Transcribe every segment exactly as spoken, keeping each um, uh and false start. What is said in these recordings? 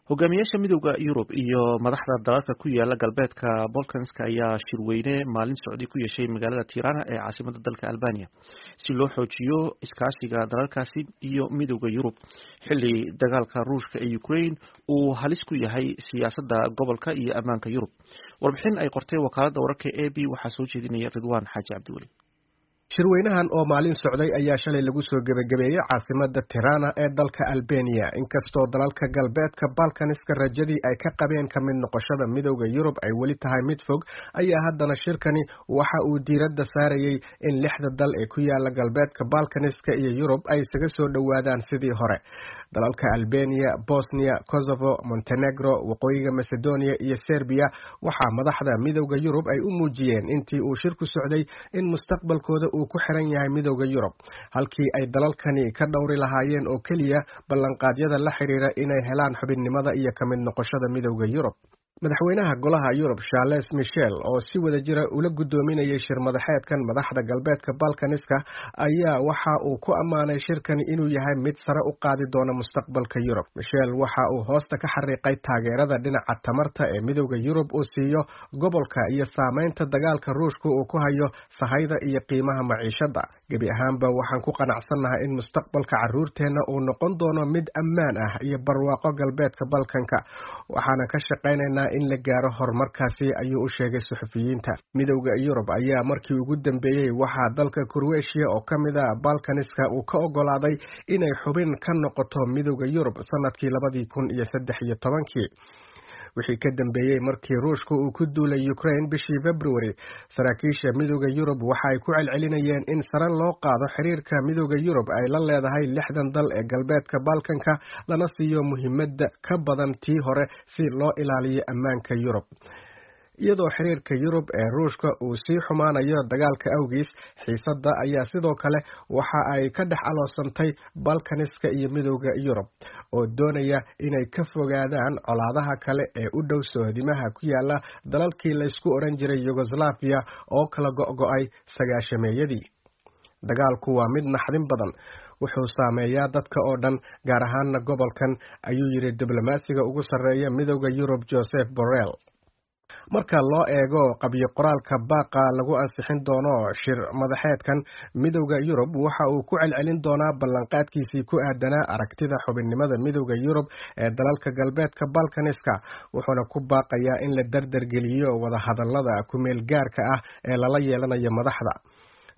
Hogaamiyaasha Midowda Yurub iyo madaxda dalalka ku yaala galbeedka Balkanska ayaa shirweyne maalin socday ku yeeshay magaalada Tirana ee caasimada dalka Albania si loo xoojiyo iskaashiga dalalkaasi iyo Midowda Yurub, xilli dagaalka Ruushka ee Ukraine uu halis ku yahay siyaasadda gobolka iyo ammaanka Yurub. Warbixin ay qortay wakaaladda wararka A P waxaa soo jeedinaya Ridwaan Xaaji Cabdiweli. Shirweynahan oo maalin socday ayaa shalay lagu soo gebagabeeyey caasimada Tirana ee dalka Albania. Inkastoo dalalka galbeedka Balkaniska rajadii ay ka qabeen ka mid noqoshada Midowda Yurub ay weli tahay mid fog, ayaa haddana shirkani waxa uu diiradda saarayey in lixda dal ee ku yaala galbeedka Balkaniska iyo Yurub ay isaga soo dhowaadaan sidii hore. Dalalka Albania, Bosnia, Kosovo, Montenegro, Waqooyiga Macedonia iyo Serbiya waxaa madaxda Midowda Yurub ay u muujiyeen intii uu shirku socday in mustaqbalkooda uu ku xiran yahay Midowda Yurub, halkii ay dalalkani ka dhowri lahaayeen oo keliya ballanqaadyada la xiriira inay helaan xubinnimada iyo ka mid noqoshada Midowda Yurub. Madaxweynaha Golaha Yurub Charles Michel oo si wada jira ula guddoominayay shir madaxeedkan madaxda galbeedka Balkaniska ayaa waxa uu ku ammaanay shirkani inuu yahay mid sare u qaadi doona mustaqbalka Yurub. Michel waxa uu hoosta ka xariiqay taageerada dhinaca tamarta ee Midowda Yurub uu siiyo gobolka iyo saameynta dagaalka Ruushka uu ku hayo sahayda iyo qiimaha maciishada. "Gebi ahaanba waxaan ku qanacsannahay in mustaqbalka caruurteenna uu noqon doono mid ammaan ah iyo barwaaqo galbeedka Balkanka, waxaana ka shaqaynaynaa in la gaaro horumarkaasi," ayuu u sheegay suxufiyiinta. Midowda Yurub ayaa markii ugu dambeeyey waxaa dalka Kroatia oo ka mid ah Balkaniska uu ka ogolaaday inay xubin ka noqoto Midowda Yurub sanadkii labadii kun iyo saddex iyo tobankii. Wixii ka dambeeyey markii Ruushka uu ku duulay Ukraine bishii February, saraakiisha Midowda Yurub waxa ay ku celcelinayeen in sare loo qaado xiriirka Midowda Yurub ay la leedahay lixdan dal ee galbeedka Balkanka, lana siiyo muhiimadda ka badan tii hore si loo ilaaliyo ammaanka Yurub. Iyadoo xiriirka Yurub ee Ruushka uu sii xumaanayo dagaalka awgiis, xiisadda ayaa sidoo kale waxa ay ka dhex aloosantay Balkaniska iyo Midowda Yurub oo doonaya inay ka fogaadaan colaadaha kale ee u dhow sohdimaha ku yaala dalalkii laysku odhan jiray Yugoslaviya oo kala go'go'ay sagaashameeyadii. "Dagaalku waa mid naxdin badan, wuxuu saameeyaa dadka oo dhan, gaar ahaana gobolkan," ayuu yidhi diblomaasiga ugu sarreeya Midowda Yurub Josep Borrell. Marka loo eego qabyo qoraalka baaqa lagu ansixin doono shir madaxeedkan, Midowda Yurub waxa uu ku celcelin doonaa ballanqaadkiisii ku aadanaa aragtida xubinnimada Midowda Yurub ee dalalka galbeedka Balkaniska, wuxuuna ku baaqayaa in la dardargeliyo wadahadalada kumeel gaarka ah ee lala yeelanayo madaxda.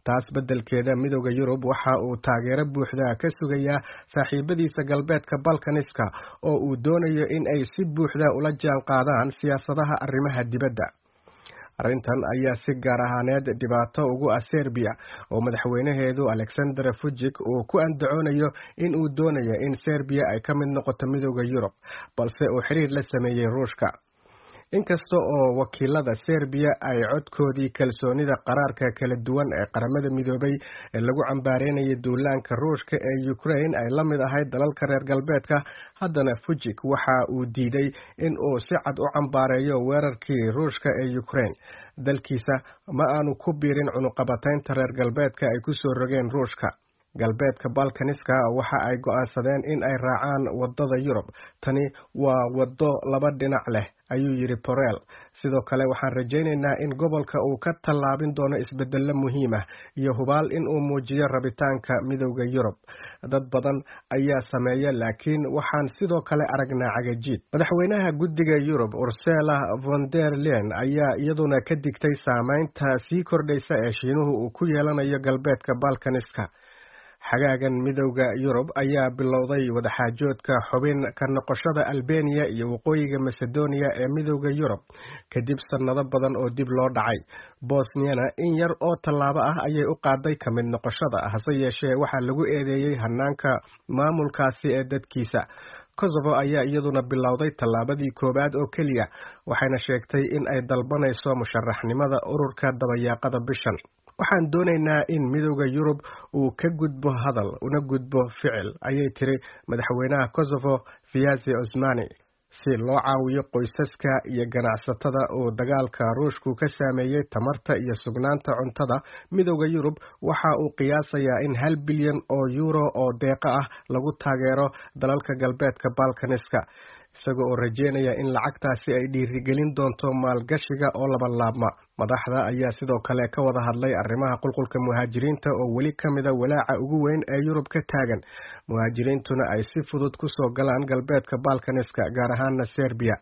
Taas beddelkeeda, Midowda Yurub waxa uu taageero buuxda ka sugayaa saaxiibadiisa galbeedka Balkaniska oo uu doonayo in ay si buuxda ula jaan qaadaan siyaasadaha arrimaha dibadda. Arrintan ayaa si gaar ahaaneed dhibaato ugu ah Serbiya oo madaxweynaheedu Alexander Vucic uu ku andacoonayo in uu doonayo in Serbiya ay ka mid noqoto Midowda Yurub, balse uu xiriir la sameeyey Ruushka. Inkasta oo wakiilada Serbiya ay codkoodii kalsoonida qaraarka kala duwan ee Qaramada Midoobay ee lagu cambaareynayay duulaanka Ruushka ee Ukraine ay la mid ahayd dalalka reer galbeedka, haddana Vucic waxa uu diiday in uu si cad u cambaareeyo weerarkii Ruushka ee Ukraine. Dalkiisa ma aanu ku biirin cunuqabataynta reer galbeedka ay ku soo rogeen Ruushka. "Galbeedka Balkaniska waxa ay go'aansadeen in ay raacaan wadada Yurub. Tani waa waddo laba dhinac leh," ayuu yidhi Borrell. "Sidoo kale waxaan rajaynaynaa in gobolka uu ka tallaabin doono isbedello muhiim ah iyo hubaal in uu muujiyo rabitaanka Midowda Yurub. Dad badan ayaa sameeya, laakiin waxaan sidoo kale aragnaa cagajiid." Madaxweynaha Guddiga Yurub Ursula von der Leyen ayaa iyaduna ka digtay saameynta sii kordhaysa ee Shiinuhu uu ku yeelanayo galbeedka Balkaniska. Xagaagan, Midowda Yurub ayaa bilowday wadaxaajoodka xubin ka noqoshada Albeniya iyo Waqooyiga Macedonia ee Midowda Yurub kadib sannado badan oo dib loo dhacay. Bosniyana in yar oo tallaabo ah ayay u qaaday ka mid noqoshada, hase yeeshee waxaa lagu eedeeyey hanaanka maamulkaasi ee dadkiisa. Kosovo ayaa iyaduna bilowday tallaabadii koowaad oo keliya, waxayna sheegtay in ay dalbanayso musharaxnimada ururka dabayaaqada bishan. "Waxaan doonaynaa in Midowda Yurub uu ka gudbo hadal una gudbo ficil," ayay tiri madaxweynaha Kosovo Vjosa Osmani. Si loo caawiyo qoysaska iyo ganacsatada uu dagaalka Ruushku ka saameeyey tamarta iyo sugnaanta cuntada, Midowda Yurub waxa uu qiyaasayaa in hal bilyan oo yuuro oo deeqo ah lagu taageero dalalka galbeedka Balkaniska. isaga oo rajeynaya in lacagtaasi ay dhiirigelin doonto maalgashiga oo labalaabma. Madaxda ayaa sidoo kale ka wada hadlay arrimaha qulqulka muhaajiriinta oo weli ka mida walaaca ugu weyn ee Yurub ka taagan, muhaajiriintuna ay si fudud kusoo galaan galbeedka Balkaniska, gaar ahaana Serbiya.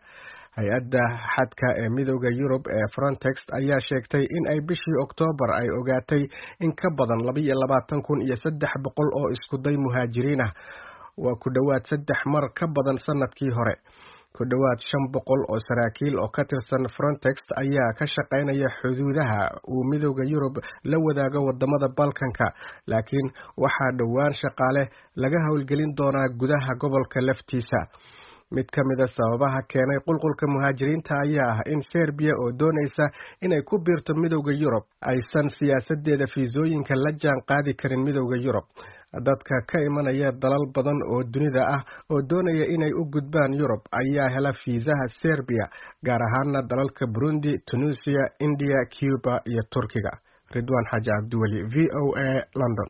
Hay-adda xadka ee Midowda Yurub ee Frontex ayaa sheegtay in ay bishii Oktoobar ay ogaatay in ka badan labaiyo labaatan kun iyo saddex boqol oo iskuday muhaajiriin ah, waa ku dhowaad saddex mar ka badan sanadkii hore. Ku dhowaad shan boqol oo saraakiil oo ka tirsan Frontex ayaa ka shaqaynaya xuduudaha uu Midowda Yurub la wadaago wadamada Balkanka, laakiin waxaa dhowaan shaqaale laga howlgelin doonaa gudaha gobolka laftiisa. Mid ka mida sababaha keenay qulqulka muhaajiriinta ayaa ah in Serbiya oo doonaysa inay ku biirto Midowda Yurub aysan siyaasadeeda fiisooyinka la jaan qaadi karin Midowda Yurub. Dadka ka imanaya dalal badan oo dunida ah oo doonaya inay u gudbaan Yurub ayaa hela fiisaha Serbiya, gaar ahaana dalalka Burundi, Tunisia, India, Cuba iyo Turkiga. Ridwaan Xaaji Cabdiweli, V O A, London.